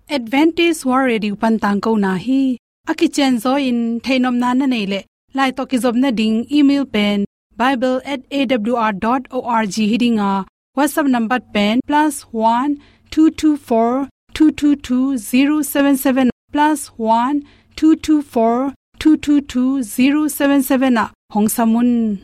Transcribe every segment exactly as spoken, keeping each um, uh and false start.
Adventist World Radio pan tangkona hi. A kicianzaw in theihnopna na neih leh, lai tawh kizopna ding email pen bible at A W R dot org hi ding a, WhatsApp number pen plus one two two four two two two zero seven seven, plus one two two four two two two zero seven seven ah hong sam un.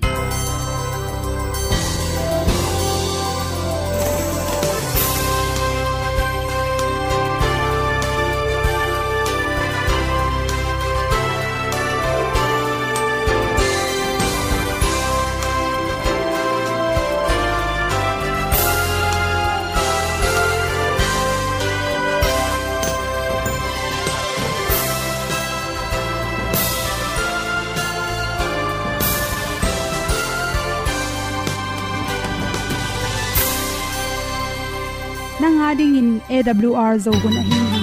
Nang a dingin A W R Zo hun ahi hi.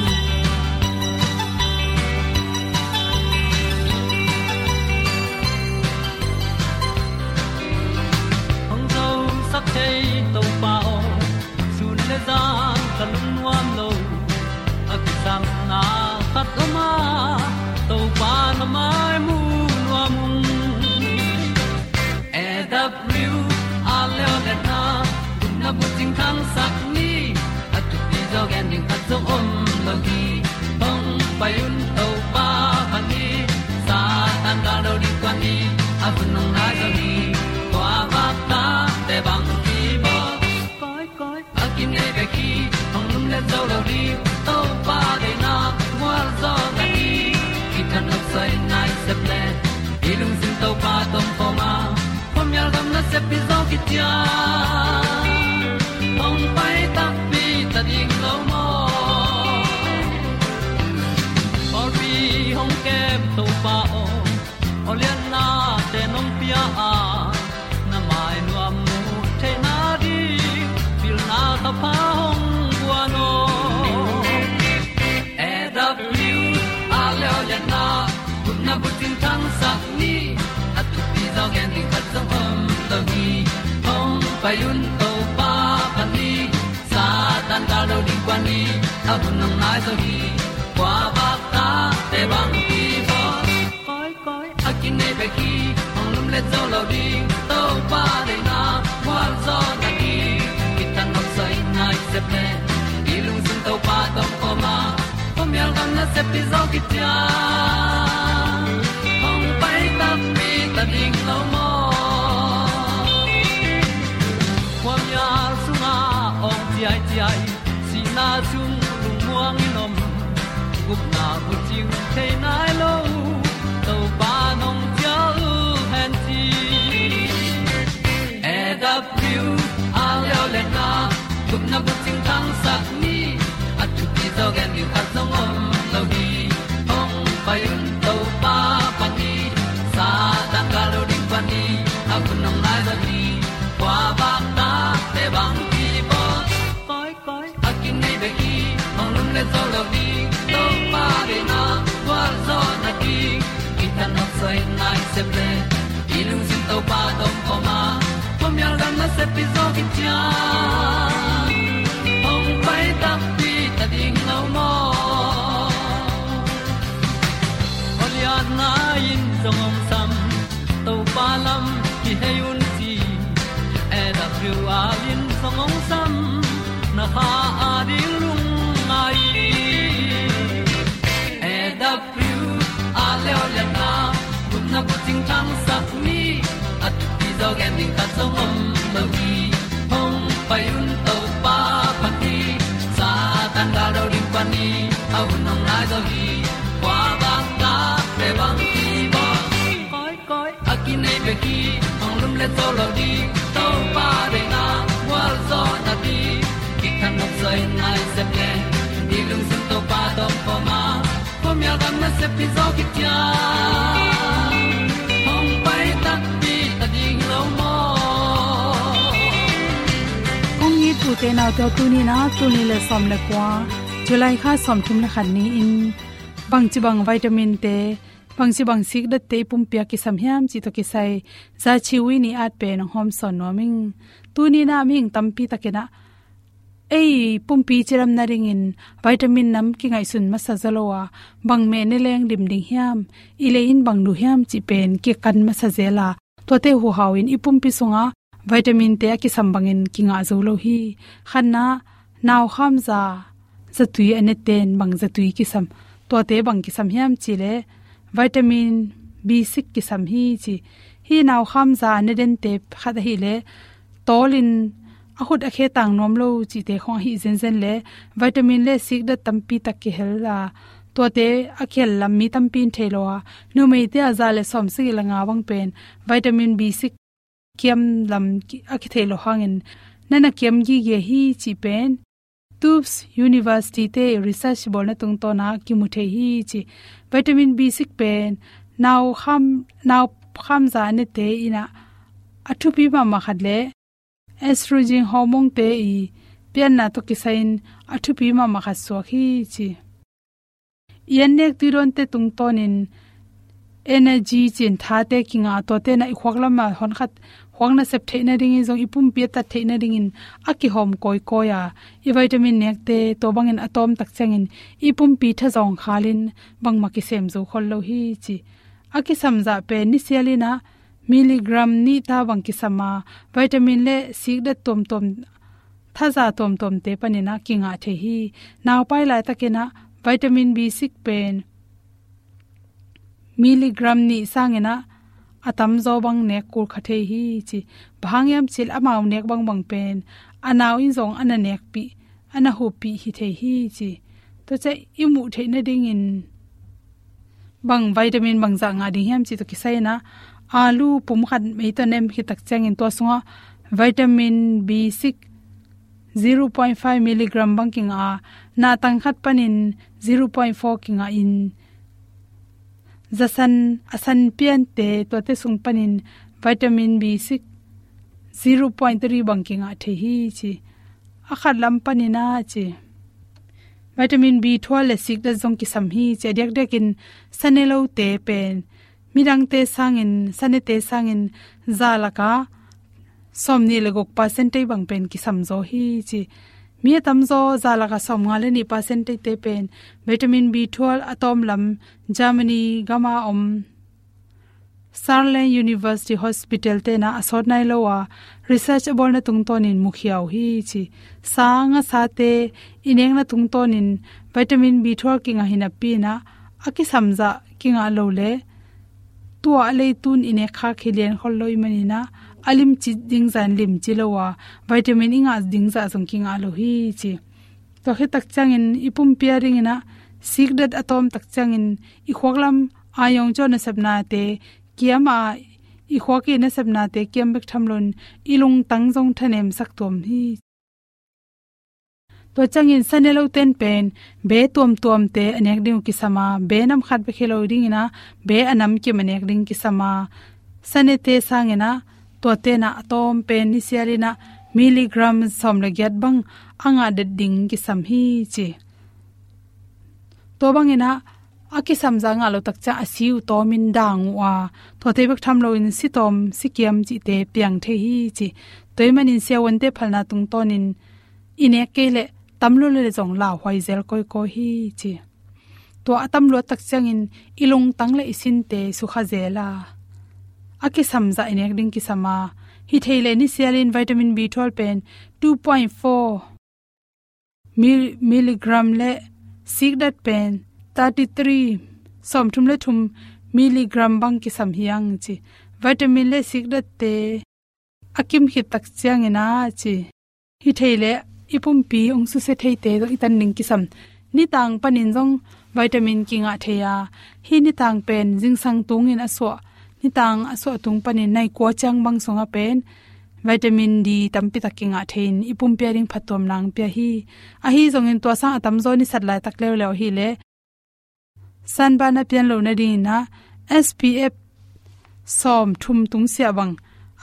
Hong zosak thei Topa aw, sun le zan ka lungnuam lo. A kisapna khat om a, Topa na mai mu nuam ung. A W R Leo le na, gupna bucing thangsak ni, a thupi zaw gen ding khat zong om lo hi. Hong pai un Topa phat ni, Satan gal do ding kuan ni, a hun hong nai zaw ni, tua vak tate bang hi baw. Koi, koi, a kinei bek hi, hong lumlet zo lo ding, Topa deihna gualzawhna hi. Kithat nopsai nai sep le, i lungsim Topa tawh om khawm a, khuamial gam nasep pi zaw kician, hong pai takpi ta ding lo maw. Pawlpi hong kem Topa aw, awliatnate nong pia a, na mai nuam mu theihna ding pilna thapha hong guan aw. A W R Leo le na, gupna bucing thangsak ni, a thupi zaw gen ding khat zong om lo hi. Hong pai un Topa phat ni, Satan gal do ding kuan ni, a hun hong nai zaw hi. Tua vak tate bang hi baw. Koi, koi, a kinei bek hi, hong lumlet zo lo ding, Topa deihna gualzawhna hi. Kithat nopsai nai sep le, i lungsim Topa tawh om khawm a, khuamial gam nasep pi zaw kician, hong pai takpi ta ding lo maw. Khuamial sungah awng ciaiciai, sihna sung lungmuang in om, gupna bucing thei nai lo, Topa nong cial hen ci. A W R Leo le na, gupna bucing thangsak ni, a thupi zaw gen ding khat zong om lo hi. Hong pai un Topa phat ni, Satan gal do ding kuan ni, a hun hong nai zaw hi. Tua vak tate bang hi baw. Koi, koi, a kinei bek hi, hong lumlet zo lo ding, Topa deihna gualzawhna hi. Kithat nopsai nai sep le, i lungsim Topa tawh om khawm a, khuamial gam nasep pi zaw kician, hong pai takpi ta ding lo maw. Awliatna in zong hong sam, Topa lam kihei un ci. A W R in zong hong sam, na kha a ding lungngai. A W R Leo le na, gupna bucing thangsak ni, a thupi zaw gen ding khat zong om lo hi. Hong pai un Topa phat ni, Satan gal do ding kuan ni, a hun hong nai zaw hi. Tua vak tate bang hi baw. Koi, koi, a kinei bek hi, hong lumlet zo lo ding, Topa deihna gualzawhna hi. Kithat nopsai nai sep le, i lungsim Topa tawh om khawm a, khuamial gam nasep pi zaw kician, hong pai takpi ta ding lo maw. Kong it u te nau te aw, tuni in ah tul nih le sawm le kua, July kha sawmthum le khat ni-in, bangci bang vitamin te, bangci bang sikdatte i pumpi ah kisam hiam cih tawh kisai, Za Chi Ui Ni at pen hong hawmsawn nuam ing. Tuni in ah mihing tampi takin ah ei pumpi cidam nadingin vitamin nam kingaihsun masa zaw lo a, bang meh ne leng lim ding hiam, i lei in bang duh hiam cih pen kikan masa zel a, tuate huhau in i pumpi sungah vitamin te a kisam bangin kingah zo lo hi. Khatna, nau khamza zatui a nete'n bang zatui kisam, tuate bang kisam hiam cih leh vitamin B six kisam hi ci. Hih nau khamza a ne dente khat ahih leh tawlin a khut a khe tang nuam lo cihte khong ahi zenzen leh vitamin le sikdat tampi tak kihel a, tuate a kihel lam mi tampi in thei lo a, numeite a za le sawmsagih le nga bang pen vitamin B six kiam lam ki-, a kithei lo hangin na na kiam gige hi cih pen Tufts University te research bawlna tungtawn a kimu thei hi ci. Vitamin B six pen nau kham, nau khamza nete in a thupi mahmah khat leh estrogen hormone te i pianna tawh kisai in a thupi mahmah khat suak hi ci. I an nek tuidawnte tungtawnin energy cih in thate kingah, tuate na i khuak lamah hon khat khuak nasep theih nadingin zong i pumpi a tat theih nadingin a kihawm kawikawi a, i vitamin nekte tua bangin a tawm tak ciangin i pumpi thazawng khalin bangmah kisem zo khol lo hi ci. A kisam zah pen nisialin a milligram nih ta bang kisam a, vitamin le sikdat tuamtuam, thaza tuamtuamte panin a kingah thei hi. Naupai laitakin a vitamin B six pen milligram nih sangin a, a tamzaw bang nek kul kha thei hi ci. Bang hang hiam cih leh amau nek bangbang pen a nau in zong a na nekpih, a na huppih hi thei hi ci. Tua ciang i muh theih nadingin bang vitamin bangzah ngah ding hiam cih tawh kisai in a, alu pum khat mei tawh nem khit tak ciangin tua sungah vitamin B six zero point five milligram bang kingah a, nahtang khat panin zero point four kingah in, zasan a san piante tuate sung panin vitamin B six zero point three bang kingah thei hi ci. A khat lam panin a ci, vitamin B twelve le sikdat zong kisam hi ci. A diakdiakin sanelote pen midangte sangin, sanete sangin za lakah sawmnih le guk percentage bang pen kisam zaw hi ci. Mi a tamzaw za lakah sawmnga le nih percentage te pen vitamin B twelve a tawm lam Germany gama om Saarland University Hospital te in a sawt nai lo a, research a bawlna tungtawnin mukhia uh hi ci. Sa ngasate i nekna tungtawnin vitamin B twelve kingah hi napi in a, a kisam zah kingah lo leh tua a leitun i nek khak hi lian khol lo ahih manin a, a limci ding zah in limci lo a, vitamin i ngah ding zah zong kingah lo hi ci. Tua khit tak ciangin i pumpi a dingin a, sikdat a tawm tak ciangin i khuak lam a yawng cawh nasepnate kiam a, i khuak i nasepnate kiam bek tham loin i lungtang zong thanemsak tuam hi. Tua ciangin sanelote'n pen be tuamtuamte a nek ding uh kisam a, be nam khat bek hi lo dingin a, be a nam kim a nek ding kisam a, sanete sangin a, tuate in a a tawm pen nisialin a milligram sawm le giat bang a ngah det ding kisam hi ci. Tua bangin a, a kisam zah ngah lo tak ciang a si uh tawmin dang uh a, tuate bek tham loin si tawm si kiam cihte piang thei hi ci. Tua ahih manin siavuante phalna tungtawnin i nek kei leh tam lua leh zong lauhuai zel kawikawi hi ci. Tua a tam luat tak ciangin i lungtang le i sinte sukha zel a, a kisam zah i nek ding kisam a, hi thei leh nisialin vitamin B twelve pen two point four mil-, milligram le sikdat pen thirty-three, sawmthum le thum milligram bang kisam hi hang ci. Vitamin le sikdatte a kim khit tak ciangin a ci, hi thei leh i pumpi hong susia theite zong i tan ding kisam. Nitang panin zong vitamin kingah thei a, hih nitang pen zingsang tungin a suah, nitang a suah tung panin nai kua ciang bang sungah pen vitamin D tampi tak kingah thei in i pumpi a ding phattuamna hong pia hi. Ahi zongin tua sang a tamzaw i sat laitak leuleu ahih leh sunburn a pian loh nadingin a, S P F sawmthum tungsiah bang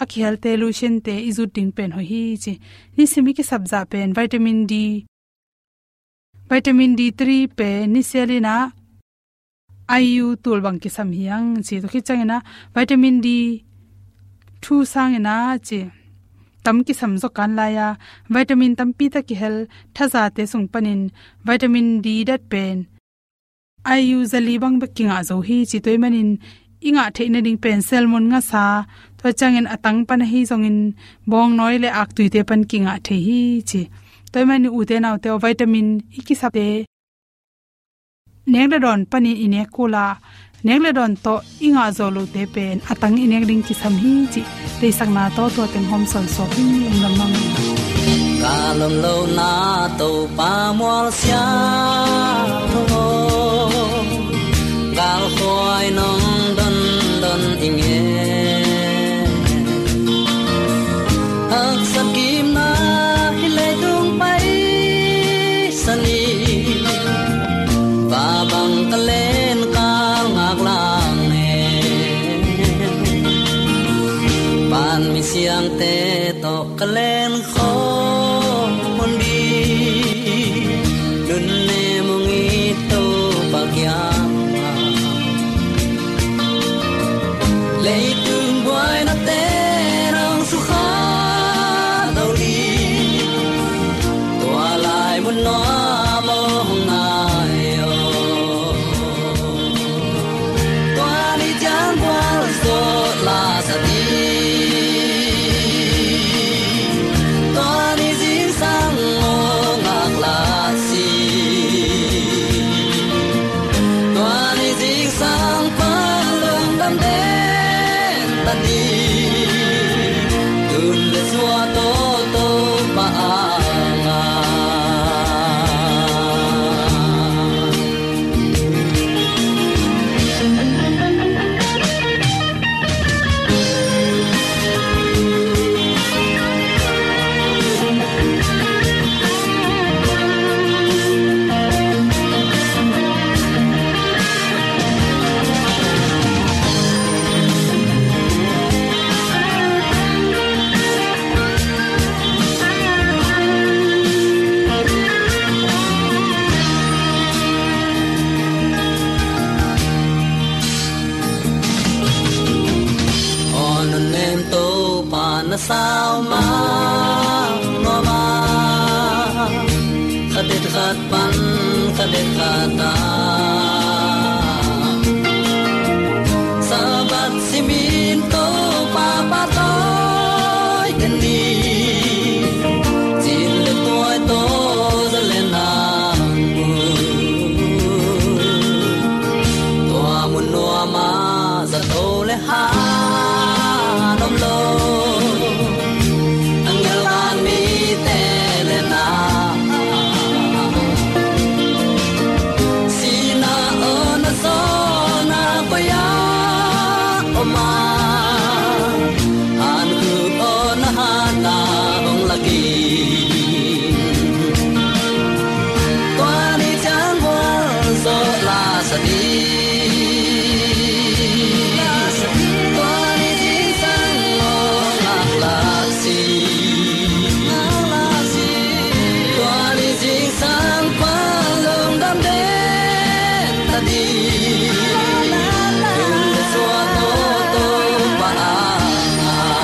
a kihelte lotion te i zut ding pen hoih hi ci. Nisim i kisap zah pen vitamin D, vitamin D three pen nisialin a I U tul bang kisam hi hang ci. Tua khit ciangin a vitamin D two sangin a ci, tam kisam zaw kan lai-a, vitamin tampi tak kihel, thazate sung panin vitamin D dat pen I U zali bang bek kingah zo hi ci. Tua ahih manin i ngah theih nading pen salmon ngasa, tua ciangin a tang pan ahi zongin bawngnawi le aktuite pan kingah thei hi ci. Tua ahih manin ute naute aw, vitamin i kisapte nek le dawn panin i nek kul a, nek le dawn tawh i ngah zawh lohte pen a tang i nek ding kisam hi ci. Deihsakna tawh tua teng hawm sawnsawn hi. Lungdam mahmah. Ka lawm lohna Topa mual sia thong aw, galkhuai nong dondon i ngen. Haksat kipna hih leitung paisan hi, va bang ka len kal ngak lang e. Pan mi siangte tawh ka len khawm hun ding, nunnem hong it Topa kiangah. Leitung buainate nong sukha lo ding, tua lai mun nuam aw hong nai aw. Tua ni ciang gualzawh la sa ding, tua ni zingsang aw ngak la si. Tua ni zingsang pan lungdam den ta ni, tun le sua tawh Topa a ngah. Aw nunnem Topa na sau mah nuam a, khat det khat pan khat det khat a, Sabbath simin Topa pahtawi den ni, cin le tuai tawh za le nang mu. Tua mun nuam a zato le han om lo, a ngelvan mite le na. Sihna aw na zawhna koi ah om a, hankup aw na hatna hong lak in. Tua ni ciang gualzawh la sa ding, tua ni zingsang aw ngak la si. Tua ni zingsang pan lungdam den ta ding, tun le sua tawh Topa a ngah.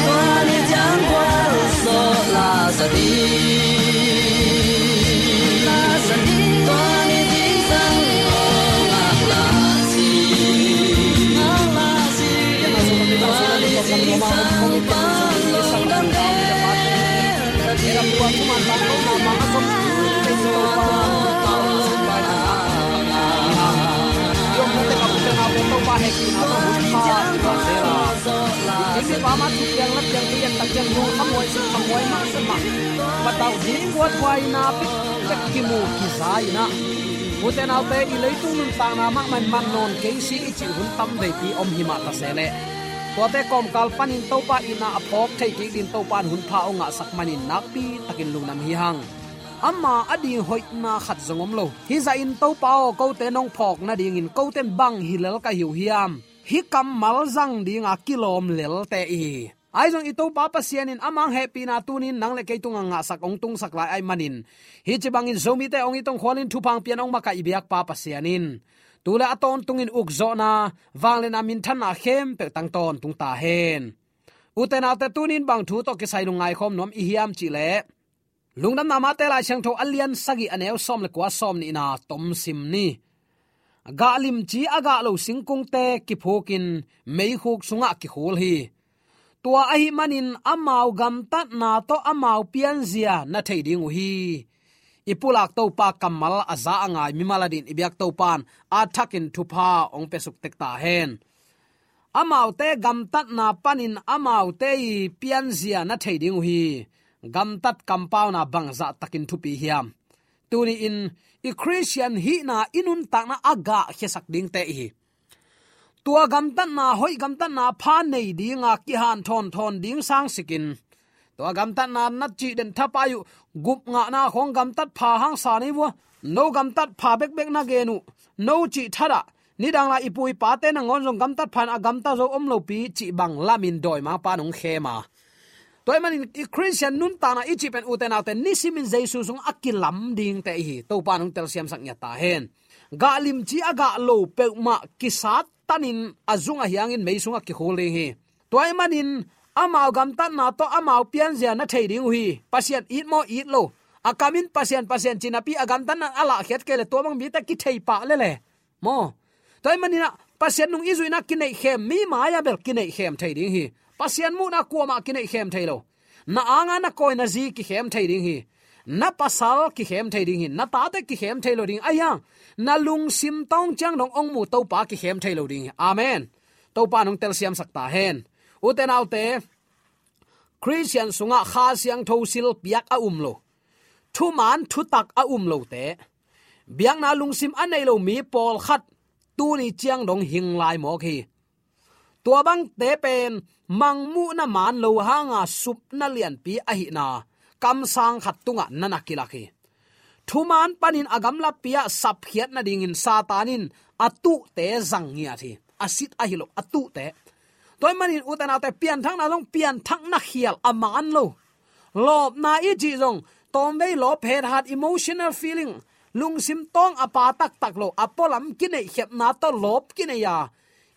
Tua ni ciang gualzawh la sa ding, tua ni zingsang aw ngak la si. Tua ni zingsang pan lungdam den ta ding. Patau ding kuat huaina pek kimu kiza in ah, ute naute, i leitung nuntakna mahmah in man nawn kei si i cih hun tam veipi om himah ta se leh, tuate kawmkal panin Topa itna a phawk thei kik ding Topa in hun pha hong ngahsak manin nakpi takin lungdam hi hang. Ama a ding hoihna khat zong om lo. Hih zahin Topa aw, kote nong phawk nadingin kote in bang hi lel ka hi uh hiam? Hih kammal zang dinga kilawm lelte i hi. Ahi zong i Topa Pasian in ama hehpihna tunin nang le kei tungah ngahsak hong tungsak lai ahih manin, hih ci bangin Zomite hong it hong khualin thupha hong pian hong makaih i biakpa Pasian in tu le a tawntungin ukzawhna, vangliatna, minthanna khempeuh tang tawntung ta hen. Ute naute, tunin bang thu tawh kisai lungngai khawm nuam i hiam cih leh, Lungdamna Mate Lai Siangtho a lian sagih, a neu sawm le kua, sawm nihna tom sim ni. Gah limci a gah lo singkungte kiphukin meikhuk sungah kikhul hi. Tua ahih manin amau gamtatna tawh amau pianzia na thei ding uh hi. I pulak Topa kammal a za a ngai mimal adingin i biak Topa'n a thakin thupha hong piasuk tek ta hen. Amaute gamtatna panin amaute i pianzia na thei ding uh hi. Gamtat kampauna bangzah takin thupi hiam. Tuni-in i Khristian hihna, i nuntakna a gahkhiasak dingte i hi. Tua gamtatna, hoih gamtatna pha nei dinga kihanthawn thawn ding sangsikin, tua gamtatna na cih den thapai uh, gup ngahna khawng gamtat pha hangsa nei vua, no gamtat pha bekbek na gen uh, no cih thadah, nidang lai i pu i pate nangawn zong gamtat pha in a gamta zo om lopi cih bang lamin dawimangpa'n hong khem a. Tua ahih manin i Khristian nuntakna i cih pen, ute naute, nisimin Jesu sungah a kilam dingte i hi. Topa'n hong telsiamsak ngiat ta hen. Gah limci a gah lo peuhmah kisat tanin a zung a hiangin mei sungah kikhul ding hi. Tua ahih manin amau gamtatna tawh amau pianzia na thei ding uh hi. Pasian it maw, it lo, a kamin Pasian, Pasian ci napi a gamtatna a lahkhiat kei leh tua bang mite kithei pah lel e. Maw? Tua ahih manin ah Pasian nung i zuihna kineihkhem, mi mai-ah bel kineihkhem thei ding hi. Pasian muhna kuamah kineihkhem thei lo. Na anga na kawi na zi kikhem thei ding hi. Na pasal kikhem thei ding hi. Na tate kikhem thei lo ding. Ahi hang, na lungsim tawng ciang dong hong mu Topa kikhem thei lo ding hi. Amen. Topa'n hong telsiamsak ta hen. Ute naute, Khristian sungah Kha Siangtho silpiak a um lo, thuman thutak a um lote, biakna lungsim a nei lo mi pawlkhat tuni ciang dong hing lai mawk hi. Tua bangte pen mangmuhna man lo hanga supna lianpi ahihna kamsang khat tungah na na kilak hi. Thuman panin a gamlapi-ah sapkhiat nadingin Satan in a tuhte zang ngiat hi. A sit ahi lo, a tuhte. Tua ahih manin ute naute, pianthakna zong pianthakna khial a man lo. Lawpna i cih zong tawmvei lawp, hethat, emotional feeling, lungsim tawng a pa taktak lo, a pualam kineihkhemna tawh lawp kinei a,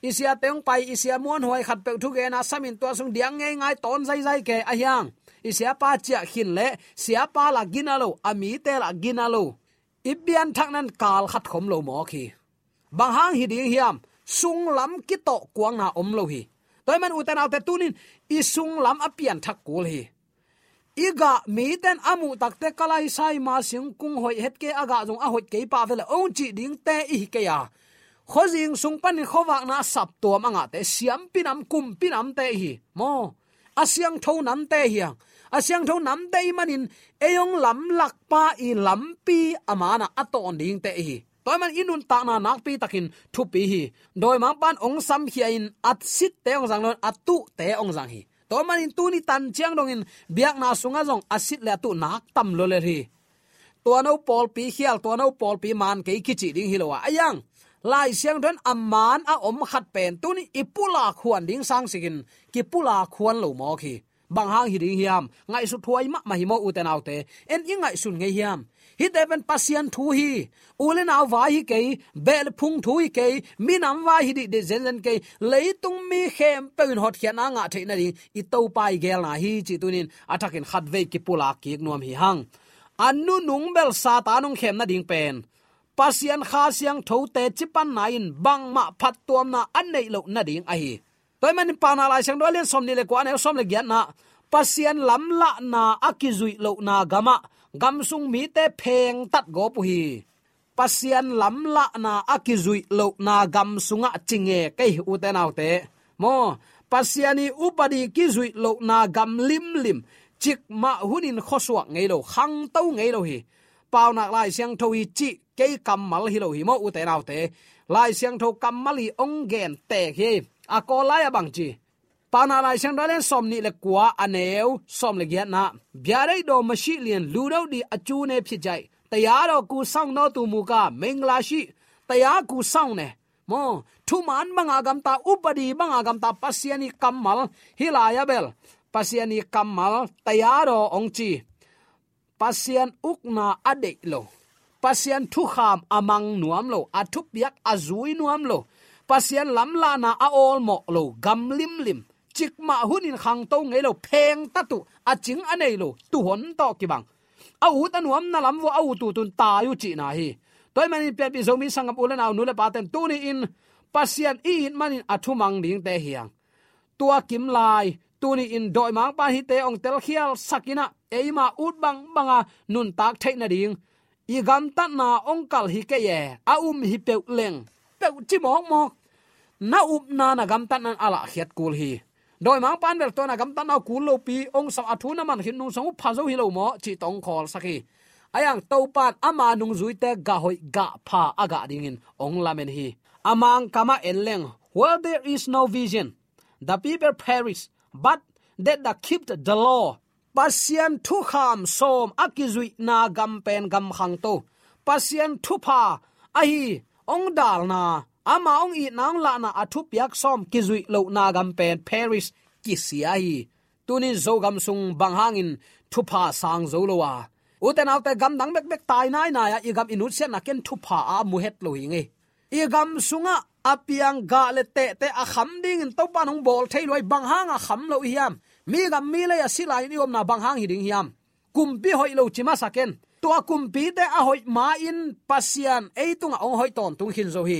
i siate hong pai, i sia muanhuai khatpeuh thugen a, samin tua sung diak ngeingai tawn zaizai kei, ahi hang i siapa ciah khin leh siapa lah gina lo, a mite lah gina lo. I pianthakna in kal khat khom lo mawk hi. Bang hang hi ding hiam? Sunglam kitawh kuangna om lo hi. Tua ahih man ute naute, tunin i sunglam a pianthak kul hi. I gah mite'n a muh takte, ka laisai ma singkung hoih het kei, a gah zong a hoih kei pah vele, ong cih dingte i hi kei a. Khuazing sung panin khuavakna a saptuam a ngahte, siampi nam, kumpi namte i hi. Maw? A siangtho namte hi hang. A siangtho namte i hih manin ei hong lamlakpa i lampi a manah a tawn dingte i hi. Tua ahih man i nuntakna nakpi takin thupi hi. Dawimangpa'n ong samkhia-in a sitte ong zang lo-in a tuhte ong zang hi. Tua ahih manin tuni tan ciang dongin biakna sungah zong a sit le a tuh nak tam lua lel hi. Tua no pawlpi khial, tua no pawlpi man kei kicih ding hi lo a, ahi hang Lai Siangtho in a man a om khat pen tuni i pulak huan ding sangsikin kipulak huan lo mawk hi. Bang hang hi ding hiam? Ngaihsut huai mahmah hi maw, ute naute. En i ngaihsun ngei hiam? Hihte pen Pasian thu hi. U le nau vai hi kei, beh le phung thu hi kei, minam vai hi dihdih zenzen kei. Leitung mi khempeuh in hotkhiatna ngah theih nading i Topa i geelna hi cih tunin a thakin khatvei kipulak kik nuam hi hang. A nunung bel Satan hong khem nading pen Pasian Kha Siangtho teci panna in bangmah phattuamna a neih loh nading ahi. Tua ahih manin Paunak Lai Siangtho a lian sawmnih le kua, a neu sawm le giatna, Pasian lamlahna a kizuih lohna gamah gam sung mite phengtat gawp uh hi. Pasian lamlahna a kizuih lohna gam sungah ci nge kei, ute naute. Maw, Pasian i upadi kizuih lohna gam limlim, cikmah hunin khuasuak ngei lo, khangto ngei lo hi. Paunak Lai Siangtho hi cih kei kammal hi lo hi maw, ute naute. Lai Siangtho kammal hi, ong gen tek hi. A Kawl lai-ah bang ci? Paunak Lai Siangtho a lian sawmnih le kua, a neu sawm le giatna, "Bia deih daw masih lian, lu daw di a cu ne phit jai. Taya daw ku sang no tu mu ka mengla si. Taya ku sang ne." Maw, thuman banga gamta, upadi banga gamta Pasian i kammal hi lai-ah bel. Pasian i kammal, taya daw ong ci. Pasian ukna a deih lo, Pasian thukham a mang nuam lo, a thupiak a zui nuam lo, Pasian lamlahna a awlmawh lo gam limlim, cikmah hunin khangto ngei lo, phengtat uh, a cing a nei lo tuuhon tawh kibang. A ut a nuamna lam vua a ut utun tai uh cihna hi. Tua ahih manin pianpih Zomi sanggam u le nau, nu le pate'n tuni-in Pasian i it manin a thumang dingte hi hang. Tua kim lai tuni-in dawimangpa'n hihte hong telkhialsak in ah, eima ut bangbang a nuntak theih nading i gamtatna hong kal hi kei e. A um hi peuh leng, peuh ci mawkmawk, na upna na gamtatna in a lahkhiat kul hi. Dawimangpa'n bel tua na gamtatna uh kul lopi hong sam, a thu na man khin nungsang uh pha zo hi lo maw cih tawh hong khawlsak hi. Ahi hang Topa'n ama nungzuite gah hoih gah pha a gah dingin hong lamen hi. A Mangkam ah en leng, "Where there is no vision, the people perish, but they that keep the law." Pasian thukham sawm a kizuihna gam pen gam khangto, Pasian thupha ahi hong dalna, ama hong itna hong lahna a thupiak sawm kizuih lohna gam pen perish, kisia hi. Tunin Zogam sung bang hangin thupha sang zo lo a, u te nau te, gamdang bekbek tai nainai a, i gam i nutsiatna ken thupha a mu het lo hi ngei. I gam sungah a piang gah le tehte a kham dingin Topa'n hong bawl thei lua hi. Bang hang a kham lo i hiam? Mi gam mi lei a si lai-in i omna bang hang hi ding hiam? Kumpi hoih lo ci masa ken. Tua kumpite a hoih ma-in Pasian ei tungah hong hoih tawntung khin zo hi.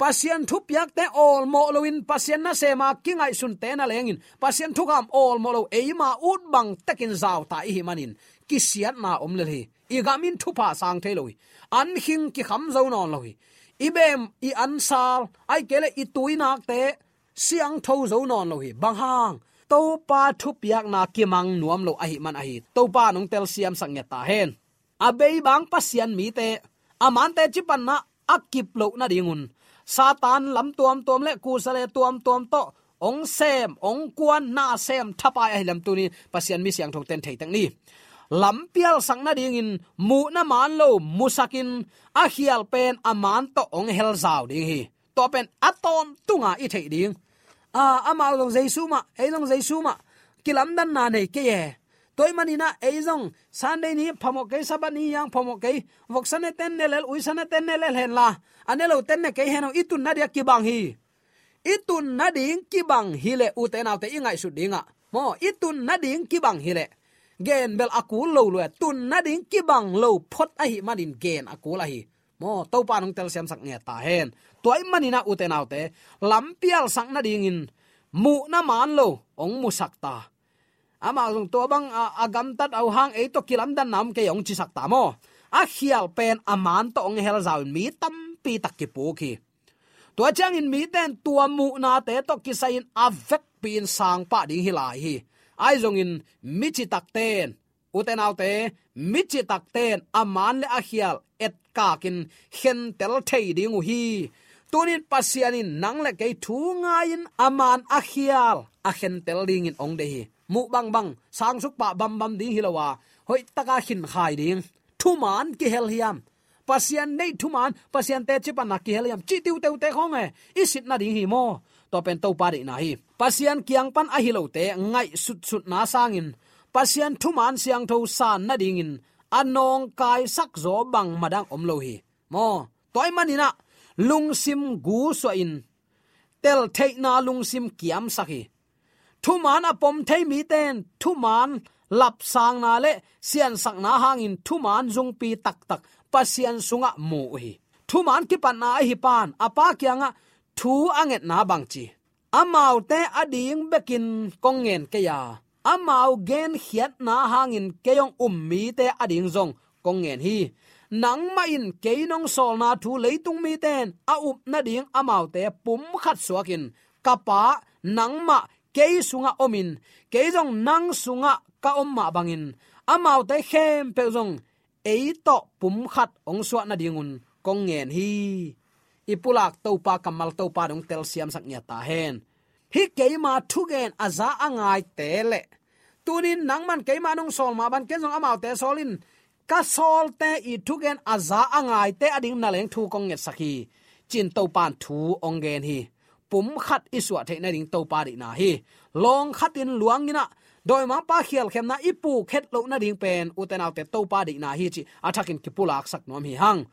Pasian thupiakte awlmawh loin Pasian nasema kingaihsunte na lengin Pasian thukham awlmawh lo, eima ut bang tekin zauta i hih manin kisiatna om lel hi. I gam in thupha sang thei lo hi. An khing kikham zo nawn lo hi. I bem, i ansal, ahih kei leh i tuinakte siangtho zo nawn lo hi. Bang hang? Topa thupiakna kimang nuam lo ahih man ahi. Topa'n hong telsiamsak ngiat ta hen. A beibang Pasian mite, a man teci panna a kip loh nadingun Satan lam tuamtuam le kusale tuamtuam tawh hong sem, hong kuan, na sem thapai ahi lam tuni Pasian mi siangthote'n thei tek ni. Lampialsak nadingin muhna man lo musakin a khial pen a man tawh hong helzau ding hi. Tua pen a tawntunga i theih ding. A, amau zong Jesu mah, ei zong Jesu mah, kilamdanna nei kei e. Tua ahih manin ah ei zong Sunday ni phamawh kei, Sabbath ni hong phamawh kei, voksa nete'n ne lel, uisa nete'n ne lel hen la, a ne lote'n ne kei hen aw, i tun nading a kibang hi. I tun nading kibang hi leh, u te nau te, i ngaihsut dingah maw, i tun nading kibang hi leh, gen bel a kul lo lua, tun nading kibang lo phot ahih manin gen a kul ahi. Maw, Topa'n hong telsiamsak ngiat ta hen. Tua ahih manin ah u te nau te, lampialsak nadingin muhna man lo hong musak ta. Amau zong tua bang a, a gamtat uh hang ei tawh kilamdanna om kei hong cisak ta maw. A khial pen a man tawh hong helzau in mi tampi tak kipuk hi. Tua ciangin mite'n tua muhnate tawh kisai-in a vekpi-in sang pah ding hi lai hi. Ahi zongin mi citakte'n, u te nau te, mi citakte'n a man le a khial etkakin khentel thei ding uh hi. Tunin Pasian in nang le kei thu ngai-in a man a khial a khentel dingin hong deih hi. Muh bangbang, sangsuk pah bambam ding hi lo a, hoih taka khinkhai ding. Thuman kihel hiam? Pasian deih thuman, Pasian teci panna kihel hiam cih tiuteute khawng e, i sit nading hi maw. Tua pen Topa deihna hi. Pasian kiang pan ahi lote ngaihsutsutna sangin Pasian thuman siangtho san nadingin a nawngkaisak zaw bang madang om lo hi. Maw, tua ahih manin ah lungsim gusuahin teltheihna lungsim kiamsak hi. Thuman a pom thei mite'n thuman lapsangna le siansakna hangin thuman zungpi taktak Pasian sungah mu uh hi. Thuman kipatna ahi pa'n a pa kiangah thu a ngetna bangci, amaute ading bekin kong ngen kei a, amau genkhiatna hangin kei hong um mite ading zong kong ngen hi. Nangmah in kei nong sawlna thu leitung mite'n a up nading amaute pumkhat suakin, ka Pa, nangmah kei sungah omin, kei zong nang sungah ka om mah bangin, amaute khempeuh zong ei tawh pumkhat hong suah nadingun kong ngen hi. I pulak Topa kammal Topa dong telsiamsak ngiat ta hen. Hih keima thugen a za a ngaite le tunin nangman keima nong sawl mah bang ken zong amaute sawl in, ka sawlte i thugen a za a ngaite ading na leng thu kong ngetsak hi, ci-in Topa'n thu hong gen hi. Pumkhat i suah theih nading Topa deihna hi. Lawng khatin luangin ah dawimangpa khialkhemna i puk het loh nading pen u te nau te Topa deihna hi cih a thakin kipulaksak nuam hi hang.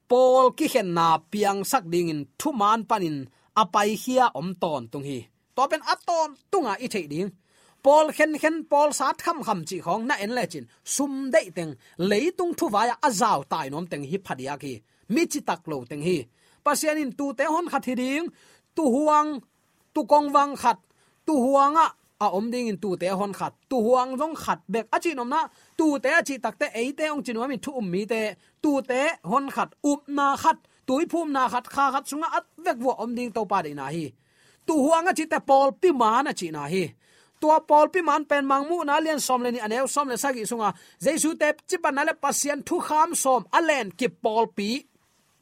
Pawl kikhenna piangsak dingin thuman panin a paikhia om tawntung hi. Tua pen a tawntunga i theih ding. Pawl khenkhen, pawl sat khamkham cih khawng na en lecin, sum deih teng, leitung thuvai-ah a zautai nuam teng hi phadiak hi. Mi citak lo teng hi. Pasian in tuute honkhat hi ding, tuhuang, tukongvang khat, tuhuangah a om dingin tuute honkhat, tuhuang zong khat bek. A cih nopna, tuute a cih takte eite hong ci nuamin thu um mite, tuute honkhat, upna khat, tuiphumna khat, kha khat sungah a vekvua om ding Topa deihna hi. Tuhuang a cihte pawlpi maan a cihna hi. Tua pawlpi maan pen Mangmuhna lian sawm le nih a neu sawm le sagih sunga Jesu teci panna le Pasian thukham sawm a lenkip pawlpi.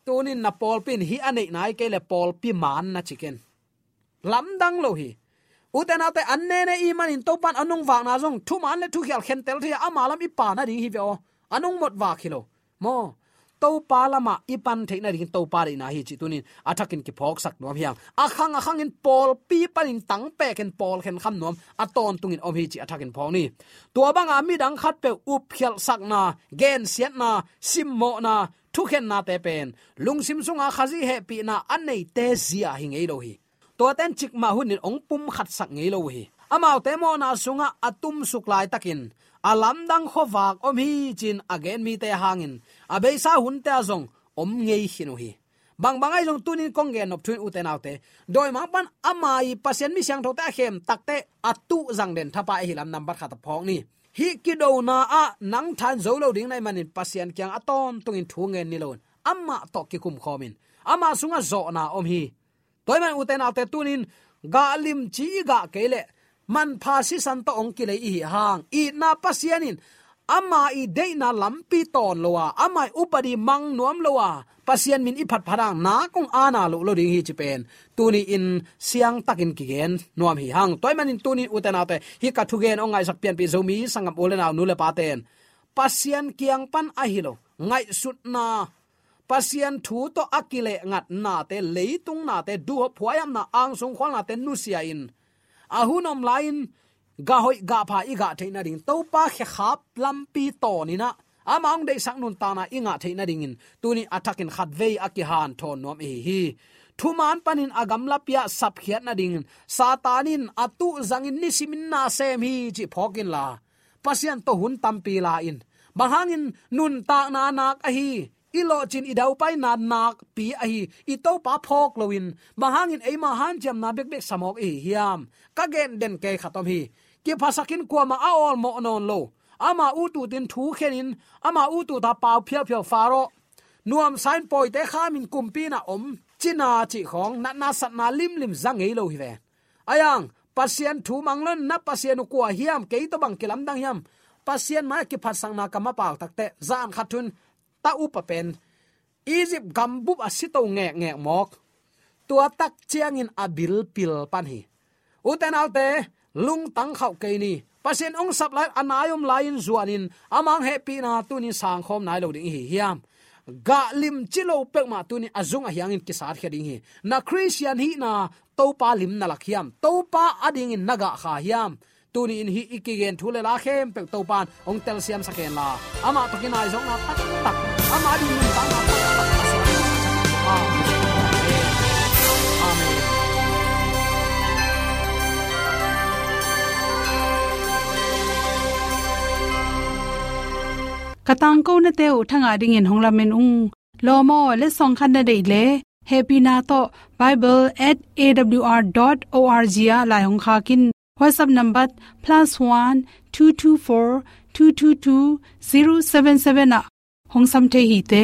Tunin na pawlpi in hih a neihna hi kei le pawlpi maan na ci ken. Lamdang lo hi. Ute naute, an nene i manin Topan a nungvakna zong thumaan le thukhial khentel thei a, ama lam i pan nading hi ve aw. A nungmot vak hi lo. Maw, Topa lamah i pan theih nading Topa deihna hi cih tunin a thakin kiphawksak nuam hi hang. A khang a khangin pawlpi panin tangpekin pawl khenkham nuam a tawntungin om hi cih a thakin phawk ni. Tua banga midang khatpeuh upkhialhsakna, gensiatna, simmawhna, thukhennate pen lungsim sunga Khazih hehpihna a neite zia hi ngei lo hi. Tuaten cikmah hunin hong pumkhatsak ngei lo uh hi. Amaute mawhna sungah a tumsuk laitakin a lamdang khuavak om hi cin a gen mite hangin a beisa hunte ah zong om ngei khin uh hi. Bangbang ahi zong tunin kong gen nop thu in, ute naute, dawimangpan ama i Pasian mi siangthote a khem takte a tuh zang den thapai ahi lam nambat khat a phawk ni. Hih kidona ah nang than zo lo ding na hih manin Pasian kiang a tawntungin thu ngen ni loin amah tawh kikumkhawmin ama sungah zawhna om hi. Tua ahih manin ute naute, tunin gah limci i gah kei leh manpha sisan tawh hong kilei i hi hang, itna Pasian in ama i deihna lampi tawn lo a, ama i upadi mang nuam lo a, Pasian min i phatphat hang nak hong ana loh lo ding hi ci pen tuni in siangtakin kigen nuam hi hang. Tua ahih manin tunin ute naute, hih ka thugen hong ngaihsak pianpih Zomi sanggam u le nau, nu le paten Pasian kiang pan ahi lo ngaihsutna, Pasian thu tawh a kilehngatnate, leitung nate, duhhuaihamna, angsung khualnate nusia in, a hun om lai-in gah hoih gah pha i gah theih nading, Topa khekhap lampi tawn in ah ama hong deihsak nuntakna i ngah theih nadingin tuni a thakin khatvei a kihanthawn nuam i hi hi. Thumaan panin a gamlapi ah sapkhiat nadingin Satan in a tuh zangin nisimin na sem hi cih phawk inla, Pasian tawh hun tampi la in. Bang hangin nuntakna nak ahi, i lawhcin i daupaina nakpi ahi i Topa phawk loin, bang hangin eima hanciamna bekbek sa mawk i hi hiam? Ka gen den kei khat om hi. Kiphasakin kuamah a awlmawh nawn lo, ama ututin thu khenin, ama ututa pau phiauphia, Faro nuamsa in pawite khamin kumpi in ah om cina cih khawng, natna satna limlim za ngei lo hi ve. Ahi hang Pasian thu mang lo in, na Pasian uh kua hiam, kei tawh bang kilamdang hiam, Pasian mai-ah kiphatsakna kam a pau takte, zan khat thu in ta upa pen Egypt gambup ah si to ngekngek mawk. Tua tak ciangin a bilpil pan hi. Ute naute, lungtang khauh kei ni. Pasian hong sap lai, a nai om lai-in zuanin, ama hong hehpihna tunin sangkhawm nai lo ding i hi hiam? Gah limci lo peuhmah tunin a zung a hiangin kisatkhia ding hi. Na Khristian hihna Topa lim na lak hiam? Topa adingin na gah kha hiam? Tuni in hih i kigen thu le la khempeuh Topan hong telsiamsak hen la, amah tawh kinaizawkna taktak, amah ading nuntakna taktak a suak hen. Amen. Amen. Ka tangkonate uh thangah dingin hong lamen ung. Lawm aw, letsong khat na deih leh, hehpihna tawh bible at A W R dot O R G ah lai hong khak in. WhatsApp number plus one two two four two two two zero seven seven ah hong sam thei hi te.